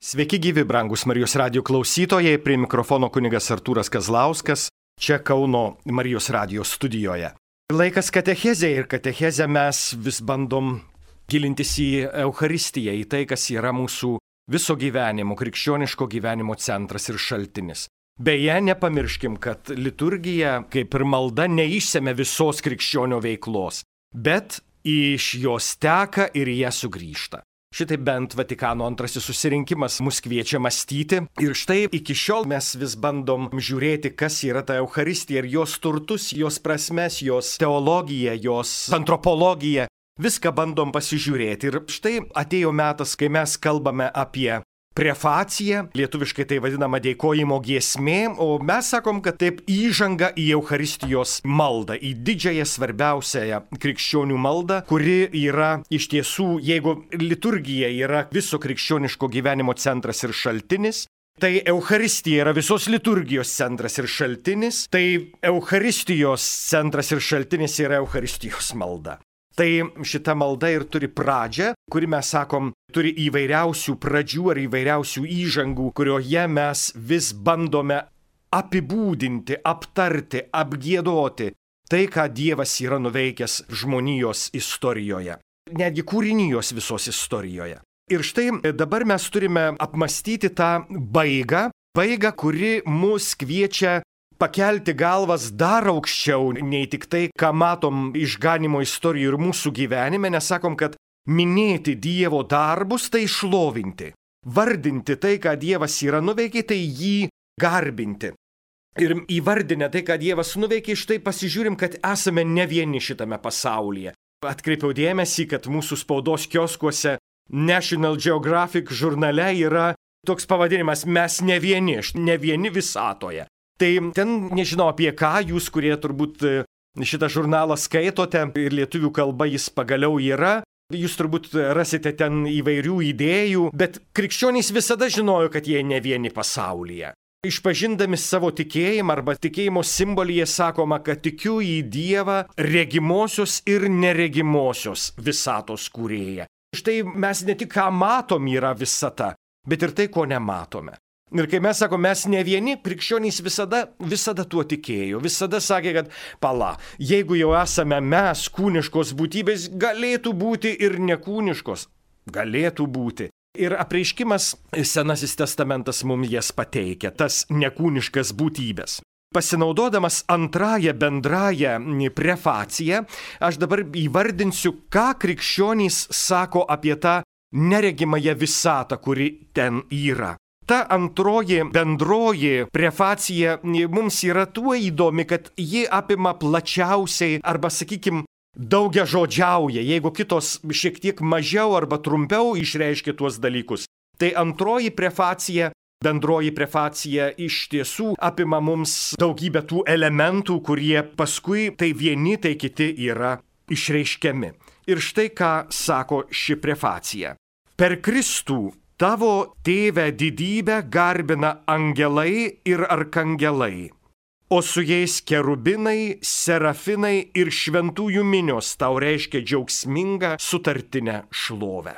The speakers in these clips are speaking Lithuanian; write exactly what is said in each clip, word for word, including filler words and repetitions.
Sveiki gyvi, brangus Marijos radijo klausytojai, prie mikrofono kunigas Artūras Kazlauskas, čia Kauno Marijos radijo studijoje. Laikas katechezė ir katechezę mes vis bandom gilintis į Eucharistiją, į tai, kas yra mūsų viso gyvenimo, krikščioniško gyvenimo centras ir šaltinis. Beje, nepamirškim, kad liturgija, kaip ir malda, neišsemia visos krikščionio veiklos, bet iš jos teka ir į ją sugrįžta. Šitai bent Vatikano antrasis susirinkimas mus kviečia mąstyti ir štai iki šiol mes vis bandom žiūrėti, kas yra ta Eucharistija ir jos turtus, jos prasmes, jos teologiją, jos antropologiją. Viską bandom pasižiūrėti ir štai atėjo metas, kai mes kalbame apie prefaciją, lietuviškai tai vadinama dėkojimo giesmė, o mes sakom, kad taip įžanga į Eucharistijos maldą, į didžiąją svarbiausiąją krikščionių maldą, kuri yra iš tiesų, jeigu liturgija yra viso krikščioniško gyvenimo centras ir šaltinis, tai Eucharistija yra visos liturgijos centras ir šaltinis, tai Eucharistijos centras ir šaltinis yra Eucharistijos malda. Tai šita malda ir turi pradžią, kuri mes sakom, turi įvairiausių pradžių ar įvairiausių įžangų, kurioje mes vis bandome apibūdinti, aptarti, apgiedoti tai, ką Dievas yra nuveikęs žmonijos istorijoje, netgi kūrinijos visos istorijoje. Ir štai dabar mes turime apmastyti tą baigą, baigą, kuri mus kviečia pakelti galvas dar aukščiau nei tik tai, ką matom išganimo istorijų ir mūsų gyvenime, nes sakom, kad minėti Dievo darbus tai šlovinti, vardinti tai, ką Dievas yra nuveikė, tai jį garbinti. Ir įvardinę tai, ką Dievas nuveikė, štai pasižiūrim, kad esame ne vieni šitame pasaulyje. Atkreipiau dėmesį, kad mūsų spaudos kioskuose National Geographic žurnale yra toks pavadinimas "Mes ne vieni", ne vieni visatoje. Tai ten nežinau apie ką, jūs, kurie turbūt šitą žurnalą skaitote ir lietuvių kalba jis pagaliau yra, jūs turbūt rasite ten įvairių idėjų, bet krikščionys visada žinojo, kad jie ne vieni pasaulyje. Išpažindami savo tikėjimą arba tikėjimo simbolyje sakoma, kad tikiu į Dievą regimosios ir neregimosios visatos kūrėją. Štai mes ne tik ką matom yra visata, bet ir tai, ko nematome. Ir kai mes sakom, mes ne vieni, krikščionys visada, visada tuo tikėjo, visada sakė, kad pala, jeigu jau esame mes kūniškos būtybės, galėtų būti ir nekūniškos, galėtų būti. Ir apreiškimas Senasis testamentas mums jas pateikia, tas nekūniškas būtybės. Pasinaudodamas antrąją bendrąją prefaciją, aš dabar įvardinsiu, ką krikščionys sako apie tą neregimąją visatą, kuri ten yra. Ta antroji bendroji prefacija mums yra tuo įdomi, kad ji apima plačiausiai arba, sakykime, daugiažodžiauja, jeigu kitos šiek tiek mažiau arba trumpiau išreiškia tuos dalykus. Tai antroji prefacija, bendroji prefacija iš tiesų apima mums daugybę tų elementų, kurie paskui tai vieni, tai kiti yra išreiškiami. Ir štai ką sako ši prefacija. Per Kristų Tavo tėvę didybę garbina angelai ir arkangelai, o su jais kerubinai, serafinai ir šventųjų minios tau reiškia džiaugsmingą sutartinę šlovę.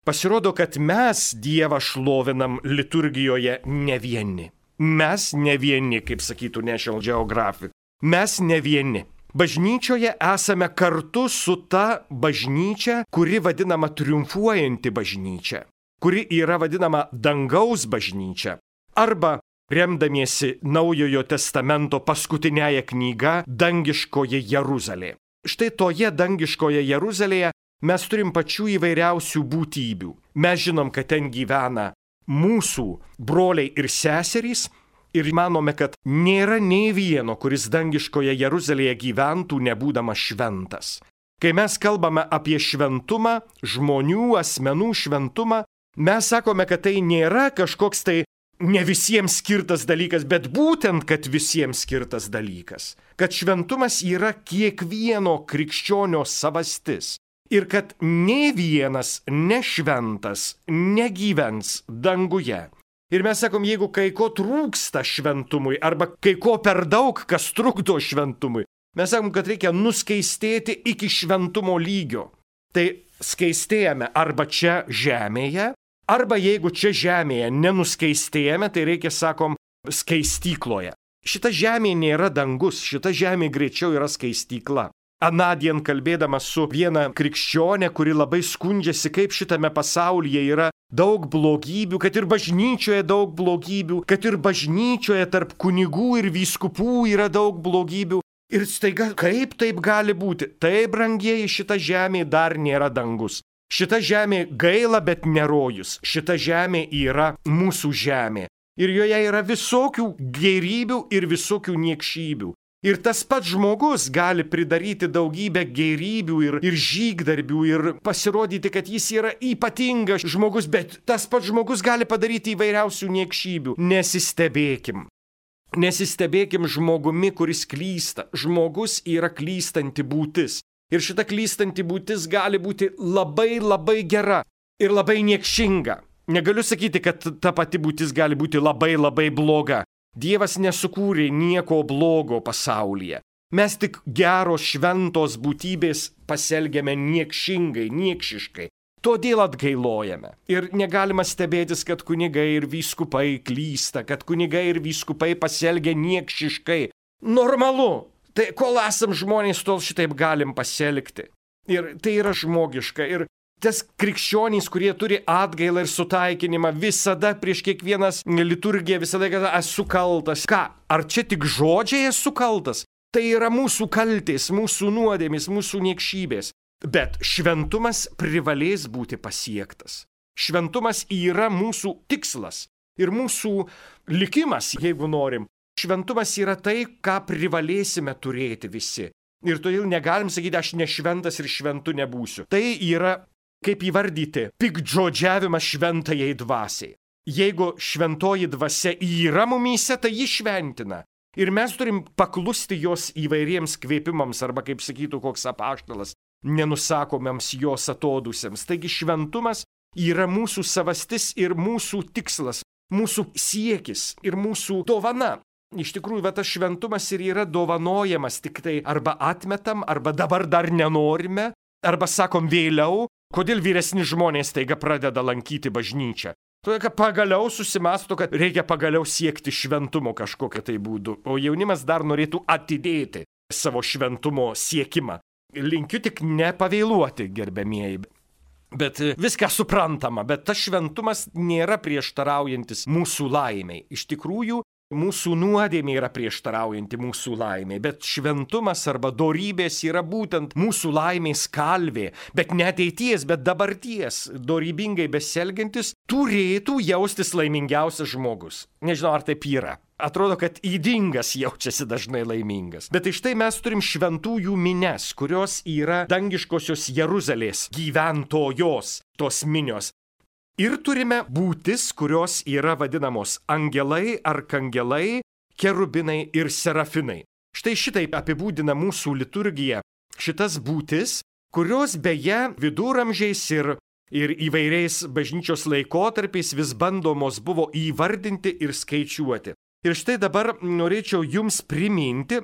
Pasirodo, kad mes Dievą šlovinam liturgijoje ne vieni. Mes ne vieni, kaip sakytų National Geographic. Mes ne vieni. Bažnyčioje esame kartu su ta bažnyčia, kuri vadinama triumfuojanti bažnyčia, kuri yra vadinama dangaus bažnyčia, arba, remdamiesi Naujojo testamento paskutinėje knyga, dangiškoje Jeruzalė. Štai toje dangiškoje Jeruzalėje mes turim pačių įvairiausių būtybių. Mes žinom, kad ten gyvena mūsų broliai ir seserys ir manome, kad nėra nei vieno, kuris dangiškoje Jeruzalėje gyventų nebūdamas šventas. Kai mes kalbame apie šventumą, žmonių, asmenų šventumą, mes sakome, kad tai nėra kažkoks tai ne visiems skirtas dalykas, bet būtent, kad visiems skirtas dalykas. Kad šventumas yra kiekvieno krikščionio savastis. Ir kad nė vienas nešventas negyvens danguje. Ir mes sakom, jeigu kai ko trūksta šventumui, arba kai ko per daug, kas trukdo šventumui, mes sakom, kad reikia nuskaistėti iki šventumo lygio. Tai skaistėjame arba čia žemėje, Arba jeigu čia žemėje nenuskeistėjame, tai reikia, sakom, skaistykloje. Šita žemė nėra dangus, šita žemė greičiau yra skaistykla. Anadien kalbėdamas su viena krikščionė, kuri labai skundžiasi, kaip šitame pasaulyje yra daug blogybių, kad ir bažnyčioje daug blogybių, kad ir bažnyčioje tarp kunigų ir vyskupų yra daug blogybių. Ir staiga, kaip taip gali būti? Taip, brangieji, šita žemė dar nėra dangus. Šita žemė gaila, bet nerojus. Šita žemė yra mūsų žemė. Ir joje yra visokių gėrybių ir visokių niekšybių. Ir tas pats žmogus gali pridaryti daugybę gėrybių ir, ir žygdarbių ir pasirodyti, kad jis yra ypatingas žmogus, bet tas pats žmogus gali padaryti įvairiausių niekšybių. Nesistebėkim. Nesistebėkim žmogumi, kuris klysta. Žmogus yra klystanti būtis. Ir šita klystanti būtis gali būti labai labai gera ir labai niekšinga. Negaliu sakyti, kad ta pati būtis gali būti labai labai bloga. Dievas nesukūrė nieko blogo pasaulyje. Mes tik geros šventos būtybės pasielgiame niekšingai, niekšiškai. Todėl atgailojame. Ir negalima stebėtis, kad kunigai ir vyskupai klysta, kad kunigai ir vyskupai pasielgia niekšiškai. Normalu. Tai kol esam žmonės, tol šitaip galim pasielgti. Ir tai yra žmogiška. Ir tas krikščionys, kurie turi atgailą ir sutaikinimą, visada prieš kiekvienas liturgiją, visada, kad esu kaltas. Ką? Ar čia tik žodžiai esu kaltas? Tai yra mūsų kaltės, mūsų nuodėmės, mūsų niekšybės. Bet šventumas privalės būti pasiektas. Šventumas yra mūsų tikslas ir mūsų likimas, jeigu norim. Šventumas yra tai, ką privalėsime turėti visi. Ir todėl negalim sakyti, aš nešventas ir šventu nebūsiu. Tai yra, kaip įvardyti, piktžodžiavimas šventajai dvasiai. Jeigu šventoji dvasia yra mumyse, tai ji šventina. Ir mes turim paklusti jos įvairiems kvėpimams, arba, kaip sakytų koks apaštalas, nenusakomiems jos atodūsiams. Taigi šventumas yra mūsų savastis ir mūsų tikslas, mūsų siekis ir mūsų dovana. Iš tikrųjų, va, tas šventumas ir yra dovanojamas, tik tai arba atmetam, arba dabar dar nenorime, arba sakom vėliau. Kodėl vyresni žmonės taiga pradeda lankyti bažnyčią? Todėl, kad pagaliau susimasto, kad reikia pagaliau siekti šventumo kažkokią tai būdu, o jaunimas dar norėtų atidėti savo šventumo siekimą. Linkiu tik nepavėluoti, gerbėmieji. Bet viską suprantama, bet tas šventumas nėra prieštaraujantis mūsų laimiai. Iš tikrųjų, mūsų nuodėmė yra prieštaraujanti mūsų laimė, bet šventumas arba dorybės yra būtent mūsų laimės kalvė, bet ne ateities, bet dabarties, dorybingai besielgiantis, turėtų jaustis laimingiausias žmogus. Nežinau, ar taip yra. Atrodo, kad ydingas jaučiasi dažnai laimingas. Bet iš tai mes turim šventųjų mines, kurios yra dangiškosios Jeruzalės gyventojos, tos minios. Ir turime būtis, kurios yra vadinamos angelai, arkangelai, kerubinai ir serafinai. Štai šitaip apibūdina mūsų liturgija šitas būtis, kurios beje viduramžiais ir, ir įvairiais bažnyčios laikotarpiais vis bandomos buvo įvardinti ir skaičiuoti. Ir štai dabar norėčiau jums priminti,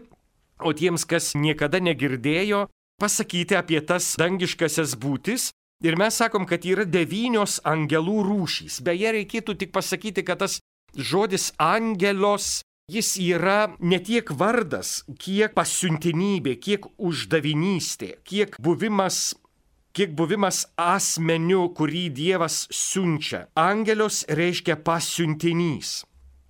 o tiems, kas niekada negirdėjo, pasakyti apie tas dangiškasias būtis. Ir mes sakom, kad yra devynios angelų rūšys. Beje, reikėtų tik pasakyti, kad tas žodis angelos, jis yra ne tiek vardas, kiek pasiuntinybė, kiek uždavinystė, kiek buvimas, kiek buvimas asmeniu, kurį Dievas siunčia. Angelios reiškia pasiuntinys.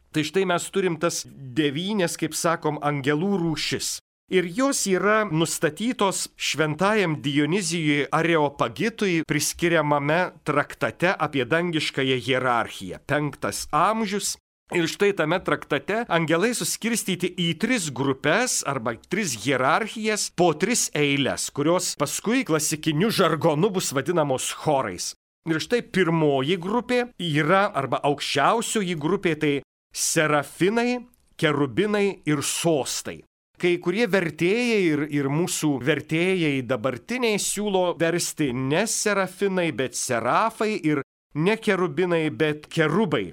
Tai štai mes turim tas devynės, kaip sakom, angelų rūšis. Ir jos yra nustatytos šventajam Dionizijui Areopagitui priskiriamame traktate apie dangiškąją hierarchiją. Penktas amžius. Ir štai tame traktate angelai suskirstyti į tris grupės arba tris hierarchijas po tris eiles, kurios paskui klasikiniu žargonu bus vadinamos chorais. Ir štai pirmoji grupė yra arba aukščiausioji grupė tai serafinai, kerubinai ir sostai. Kai kurie vertėjai ir, ir mūsų vertėjai dabartiniai siūlo versti ne serafinai, bet serafai ir ne kerubinai, bet kerubai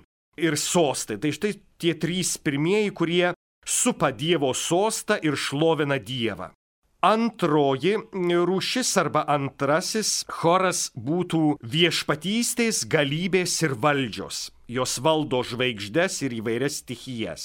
ir sostai. Tai štai tie trys pirmieji, kurie supa Dievo sostą ir šlovina Dievą. Antroji rūšis arba antrasis choras būtų viešpatystės, galybės ir valdžios. Jos valdo žvaigždes ir įvairias stichijas.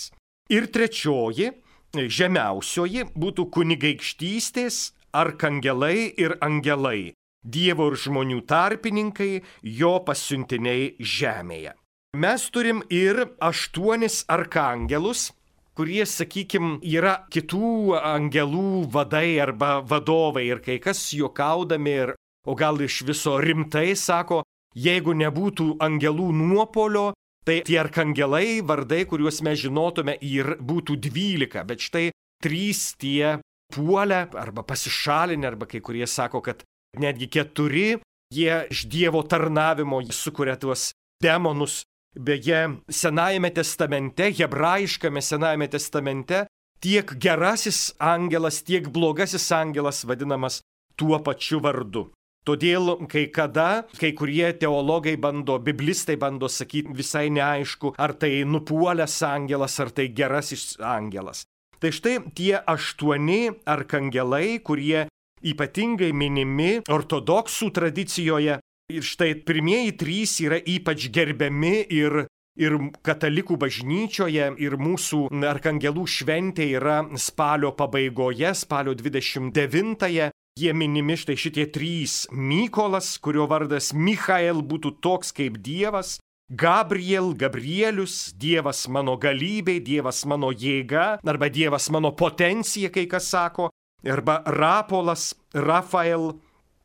Ir trečioji, žemiausioji, būtų kunigaikštystės, arkangelai ir angelai, Dievo ir žmonių tarpininkai, jo pasiuntiniai žemėje. Mes turim ir aštuonis arkangelus, kurie, sakykime, yra kitų angelų vadai arba vadovai. Ir kai kas juokaudami, ir, o gal iš viso rimtai sako, jeigu nebūtų angelų nuopolio, tai tie arkangelai, vardai, kuriuos mes žinotume, ir būtų dvylika. Bet štai trys tie puolę arba pasišalinę, arba kai kurie sako, kad netgi keturi, jie iš Dievo tarnavimo sukuria tuos demonus. Beje, Senajame testamente, hebrajiškame Senajame testamente, tiek gerasis angelas, tiek blogasis angelas vadinamas tuo pačiu vardu. Todėl kai kada, kai kurie teologai bando, biblistai bando sakyti visai neaišku, ar tai nupuolęs angelas, ar tai gerasis angelas. Tai štai tie aštuoni arkangelai, kurie ypatingai minimi ortodoksų tradicijoje. Ir štai pirmieji trys yra ypač gerbiami ir, ir katalikų bažnyčioje, ir mūsų arkangelų šventė yra spalio pabaigoje, spalio dvidešimt devintąją. Jie minimi štai šitie trys. Mykolas, kurio vardas Michael būtų toks kaip Dievas, Gabriel, Gabrielius, Dievas mano galybė, Dievas mano jėga, arba Dievas mano potencija, kai kas sako, arba Rapolas, Rafael,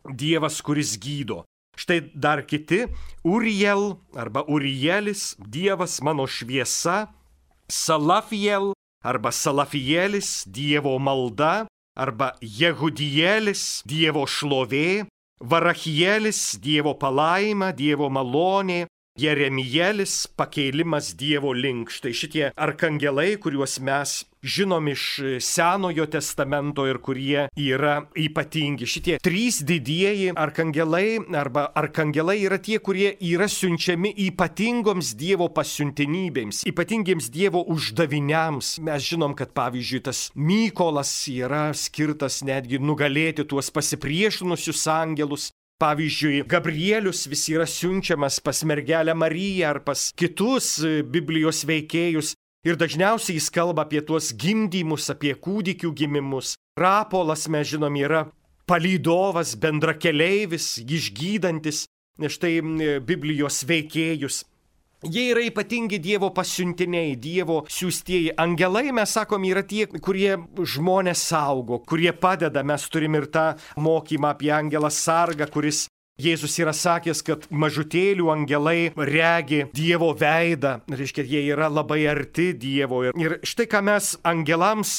Dievas, kuris gydo. Štai dar kiti, Uriel arba Urielis, Dievas mano šviesa, Salafiel arba Salafielis, Dievo malda, arba Jehudielis, Dievo šlovė, Varachielis, Dievo palaima, Dievo malonė, Jeremielis, pakėlimas Dievo link. Štai šitie arkangelai, kuriuos mes žinom iš Senojo testamento ir kurie yra ypatingi. Šitie trys didieji arkangelai arba arkangelai yra tie, kurie yra siunčiami ypatingoms Dievo pasiuntinybėms, ypatingiems Dievo uždaviniams. Mes žinom, kad pavyzdžiui tas Mykolas yra skirtas netgi nugalėti tuos pasipriešinusius angelus. Pavyzdžiui, Gabrielius vis yra siunčiamas pas mergelę Mariją ar pas kitus Biblijos veikėjus ir dažniausiai jis kalba apie tuos gimdymus, apie kūdikių gimimus. Rapolas, mes žinom, yra palydovas, bendrakeleivis, išgydantis štai Biblijos veikėjus. Jie yra ypatingi Dievo pasiuntiniai, Dievo siųstieji. Angelai, mes sakom, yra tie, kurie žmonės saugo, kurie padeda. Mes turim ir tą mokymą apie angelą sargą, kuris Jėzus yra sakęs, kad mažutėlių angelai regi Dievo veidą. Reiškia, jie yra labai arti Dievo. Ir štai ką mes angelams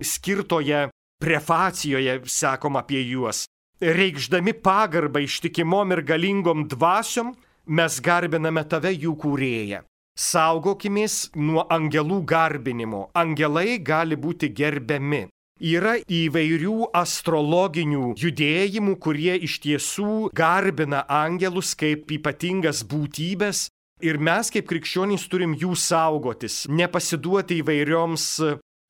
skirtoje prefacijoje sakom apie juos. Reikšdami pagarbą ištikimom ir galingom dvasiom, mes garbiname tave, jų kūrėją. Saugokimės nuo angelų garbinimo. Angelai gali būti gerbiami. Yra įvairių astrologinių judėjimų, kurie iš tiesų garbina angelus kaip ypatingas būtybės. Ir mes kaip krikščionys turim jų saugotis, nepasiduoti įvairioms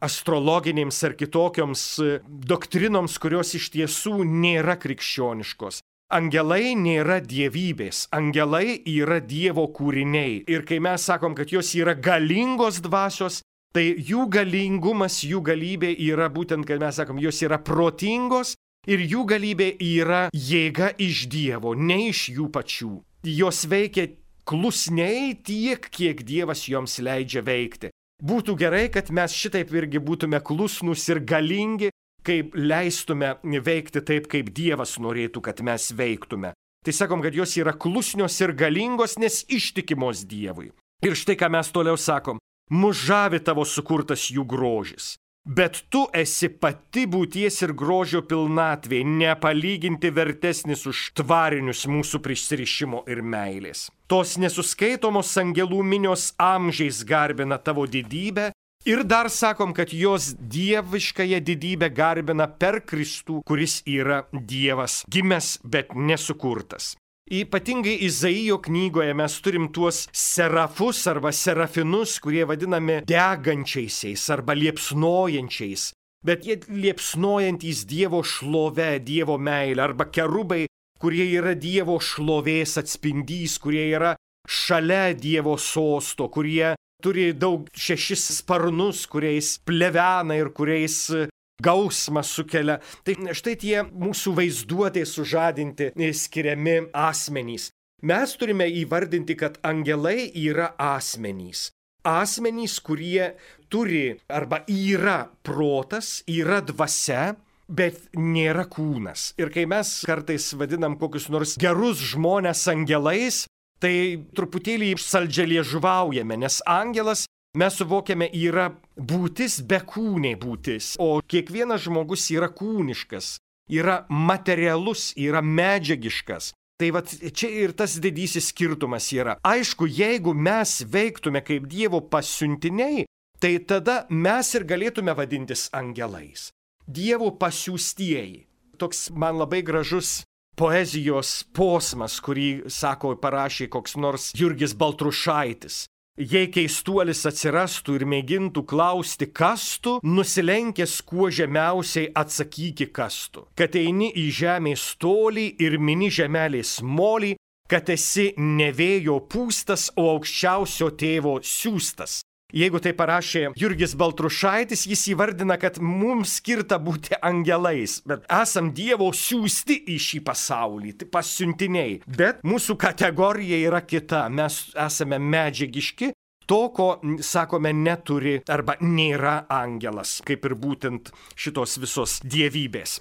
astrologinėms ar kitokioms doktrinoms, kurios iš tiesų nėra krikščioniškos. Angelai nėra dievybės, angelai yra Dievo kūriniai. Ir kai mes sakom, kad jos yra galingos dvasios, tai jų galingumas, jų galybė yra būtent, kad mes sakom, jos yra protingos ir jų galybė yra jėga iš Dievo, ne iš jų pačių. Jos veikia klusniai tiek, kiek Dievas joms leidžia veikti. Būtų gerai, kad mes šitaip irgi būtume klusnus ir galingi, kaip leistume veikti taip, kaip Dievas norėtų, kad mes veiktume. Tai sakom, kad jos yra klusnios ir galingos, nes ištikimos Dievui. Ir štai ką mes toliau sakom, mus žavi tavo sukurtas jų grožis. Bet tu esi pati būties ir grožio pilnatvė, nepalyginti vertesnis už tvarinius mūsų prisirišimo ir meilės. Tos nesuskaitomos angelų minios amžiais garbina tavo didybę. Ir dar sakom, kad jos dieviškąją didybę garbina per Kristų, kuris yra Dievas, gimęs, bet nesukurtas. Ypatingai Izaijo knygoje mes turim tuos serafus arba serafinus, kurie vadinami degančiaisiais arba liepsnojančiais. bet jie liepsnojantys Dievo šlove, Dievo meilę, arba kerubai, kurie yra Dievo šlovės atspindys, kurie yra šalia Dievo sosto, kurie turi daug šešis sparnus, kuriais plevena ir kuriais gausmą sukelia. Tai štai tie mūsų vaizduotė sužadinti skiriami asmenys. Mes turime įvardinti, kad angelai yra asmenys. Asmenys, kurie turi arba yra protas, yra dvasia, bet nėra kūnas. Ir kai mes kartais vadinam kokius nors gerus žmones angelais, tai truputėlį saldžialiežuvaujame, nes angelas, mes suvokiame, yra būtis be kūnė būtis, o kiekvienas žmogus yra kūniškas, yra materialus, yra medžiagiškas. Tai vat čia ir tas didysis skirtumas yra. Aišku, jeigu mes veiktume kaip Dievo pasiuntiniai, tai tada mes ir galėtume vadintis angelais. Dievo pasiųstieji. Toks man labai gražus poezijos posmas, kurį, sako, parašė koks nors Jurgis Baltrušaitis. Jei keistuolis atsirastų ir mėgintų klausti, kas tu, nusilenkęs kuo žemiausiai atsakyki, kas tu. Kad eini į žemės tolį ir mini žemelės molį, kad esi ne vėjo pūstas, o aukščiausio tėvo siųstas. Jeigu tai parašė Jurgis Baltrušaitis, jis įvardina, kad mums skirta būti angelais, bet esam Dievo siųsti į šį pasaulį, tai pasiuntiniai. Bet mūsų kategorija yra kita, mes esame medžiagiški, to, ko, sakome, neturi arba nėra angelas, kaip ir būtent šitos visos dievybės.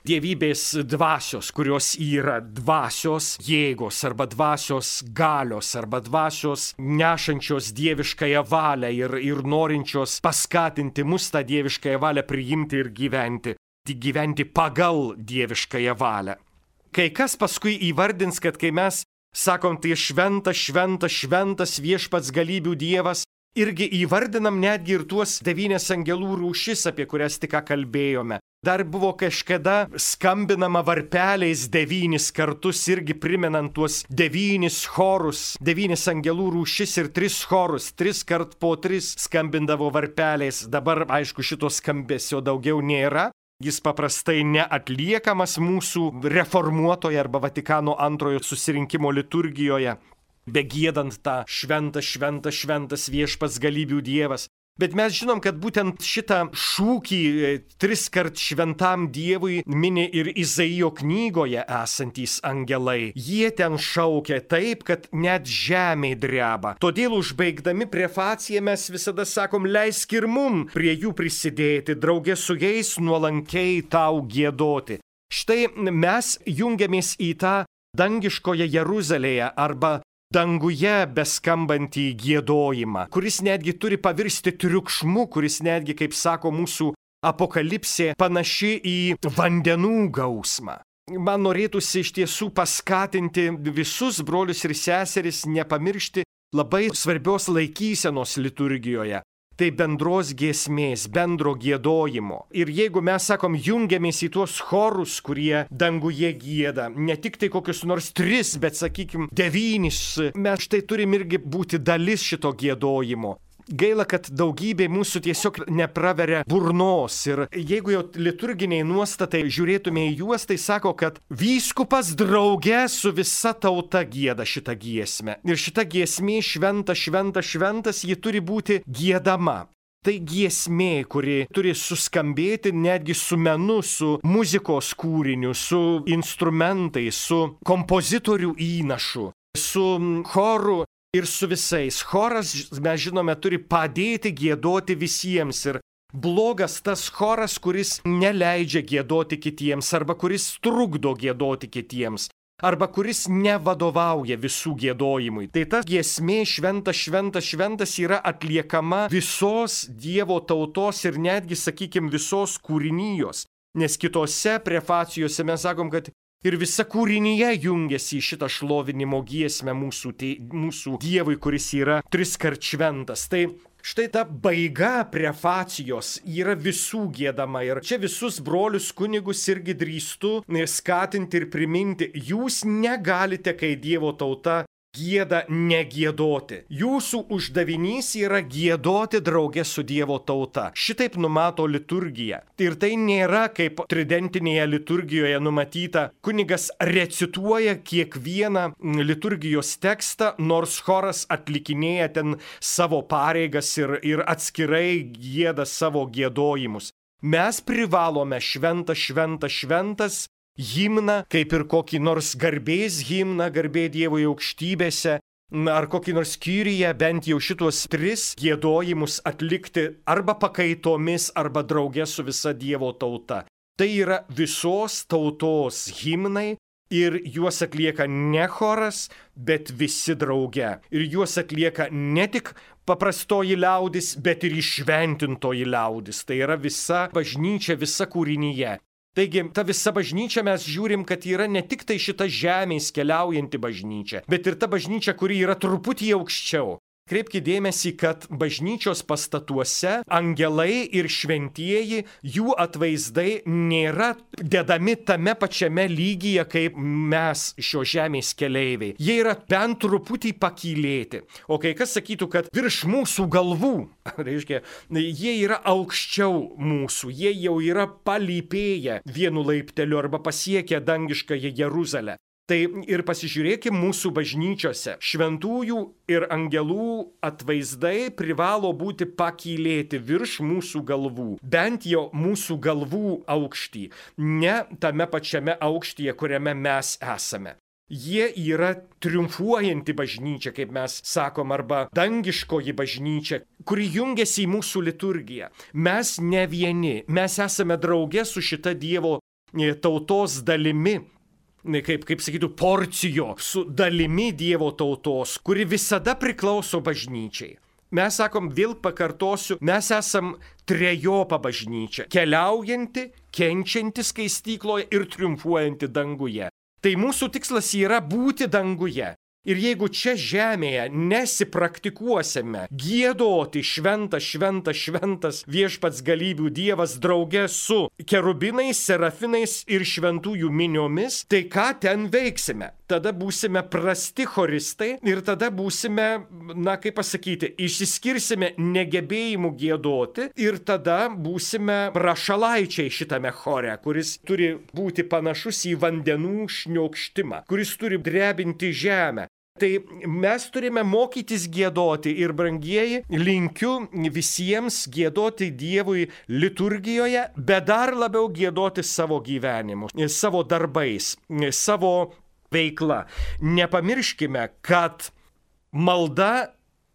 Dievybės dvasios, kurios yra dvasios jėgos arba dvasios galios arba dvasios nešančios dieviškąją valią ir, ir norinčios paskatinti mus tą dieviškąją valią priimti ir gyventi, gyventi pagal dieviškąją valią. Kai kas paskui įvardins, kad kai mes sakom, tai šventas, šventas, šventas viešpats galybių Dievas, irgi įvardinam netgi ir tuos devynias angelų rūšis, apie kurias tik ką kalbėjome. Dar buvo kažkada skambinama varpeliais devynis kartus, irgi primenant tuos devynis chorus, devynis angelų rūšis ir tris chorus, tris kart po tris skambindavo varpeliais. Dabar, aišku, šito skambesio daugiau nėra. Jis paprastai neatliekamas mūsų reformuotoje arba Vatikano antrojo susirinkimo liturgijoje, begiedant tą šventas, šventas, šventas viešpats galybių Dievas. Bet mes žinom, kad būtent šitą šūkį tris kart šventam Dievui mini ir Izaijo knygoje esantys angelai. Jie ten šaukia taip, kad net žemė dreba. Todėl užbaigdami prefaciją mes visada sakom, leisk ir mum prie jų prisidėti, drauge su jais nuolankiai tau giedoti. Štai mes jungiamės į tą dangiškoje Jeruzalėje arba danguje beskambantį giedojimą, kuris netgi turi pavirsti triukšmu, kuris netgi, kaip sako mūsų apokalipsė, panaši į vandenų gausmą. Man norėtųsi iš tiesų paskatinti visus brolius ir seseris nepamiršti labai svarbios laikysenos liturgijoje. Tai bendros giesmės, bendro giedojimo. Ir jeigu mes, sakom, jungiamės į tuos chorus, kurie danguje gieda, ne tik tai kokius nors tris, bet, sakykim, devynis, mes štai turim irgi būti dalis šito giedojimo. Gaila, kad daugybė mūsų tiesiog nepraveria burnos. Ir jeigu jau liturginiai nuostatai žiūrėtume į juos, tai sako, kad vyskupas drauge su visa tauta gieda šitą giesmę. Ir šita giesmė šventas, šventas, šventas, ji turi būti giedama. Tai giesmė, kuri turi suskambėti netgi su menu, su muzikos kūriniu, su instrumentais, su kompozitorių įnašu, su choru. Ir su visais. Choras, mes žinome, turi padėti giedoti visiems. Ir blogas tas choras, kuris neleidžia giedoti kitiems, arba kuris trukdo giedoti kitiems, arba kuris nevadovauja visų giedojimui. Tai ta giesmė šventas, šventas, šventas yra atliekama visos Dievo tautos ir netgi, sakykim, visos kūrinijos. Nes kitose prefacijose mes sakom, kad ir visa kūrinyje jungiasi į šitą šlovinimo giesmę mūsų, tai, mūsų Dievui, kuris yra triskart šventas. Tai štai ta baiga prefacijos yra visų giedama. Ir čia visus brolius kunigus irgi drįstu skatinti ir priminti. Jūs negalite, kai Dievo tauta gieda negiedoti. Jūsų uždavinys yra giedoti drauge su Dievo tauta. Šitaip numato liturgija. Ir tai nėra kaip tridentinėje liturgijoje numatyta. Kunigas recituoja kiekvieną liturgijos tekstą, nors choras atlikinėja ten savo pareigas ir, ir atskirai gieda savo giedojimus. Mes privalome šventą, šventą, šventas himną, kaip ir kokį nors garbės himną, garbė Dievui aukštybėse, ar kokį nors kyriją, bent jau šitos tris giedojimus atlikti arba pakaitomis, arba drauge su visa Dievo tauta. Tai yra visos tautos himnai ir juos atlieka ne choras, bet visi drauge. Ir juos atlieka ne tik paprastoji liaudis, bet ir įšventintoji liaudis. Tai yra visa bažnyčia, visa kūrinyje. Taigi, ta visa bažnyčia mes žiūrim, kad yra ne tik tai šita žemės keliaujanti bažnyčia, bet ir ta bažnyčia, kuri yra truputį aukščiau. Kreipkite dėmesį, kad bažnyčios pastatuose angelai ir šventieji, jų atvaizdai nėra dedami tame pačiame lygyje, kaip mes šio žemės keleiviai. Jie yra bent truputį pakylėti. O kai kas sakytų, kad virš mūsų galvų, reiškia, jie yra aukščiau mūsų, jie jau yra palypėję vienu laipteliu arba pasiekę dangiškąją Jeruzalę. Tai ir pasižiūrėkime mūsų bažnyčiose. Šventųjų ir angelų atvaizdai privalo būti pakylėti virš mūsų galvų. Bent jau mūsų galvų aukštį, ne tame pačiame aukštyje, kuriame mes esame. Jie yra triumfuojanti bažnyčia, kaip mes sakom, arba dangiškoji bažnyčia, kuri jungiasi į mūsų liturgiją. Mes ne vieni, mes esame drauge su šita Dievo tautos dalimi. Kaip, kaip sakytų, porcijo su dalimi Dievo tautos, kuri visada priklauso bažnyčiai. Mes sakom, vėl pakartosiu, mes esam trejopa bažnyčia, keliaujanti, kenčianti skaistykloje ir triumfuojanti danguje. Tai mūsų tikslas yra būti danguje. Ir jeigu čia žemėje nesipraktikuosime giedoti šventas, šventas, šventas viešpats galybių Dievas drauge su kerubinais, serafinais ir šventųjų miniomis, tai ką ten veiksime? Tada būsime prasti choristai ir tada būsime, na kaip pasakyti, išsiskirsime negebėjimu giedoti ir tada būsime rašalaičiai šitame chore, kuris turi būti panašus į vandenų šniokštimą, kuris turi drebinti žemę. Tai mes turime mokytis giedoti ir, brangieji, linkiu visiems giedoti Dievui liturgijoje, bet dar labiau giedoti savo gyvenimu, savo darbais, savo veikla. Nepamirškime, kad malda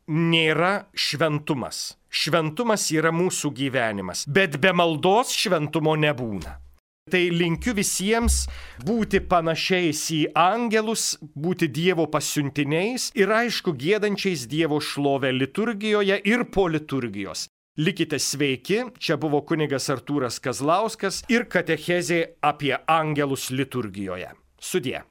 nėra šventumas. Šventumas yra mūsų gyvenimas, bet be maldos šventumo nebūna. Tai linkiu visiems būti panašiais į angelus, būti Dievo pasiuntiniais ir aišku giedančiais Dievo šlovę liturgijoje ir po liturgijos. Likite sveiki, čia buvo kunigas Artūras Kazlauskas ir katechezė apie angelus liturgijoje. Sudie.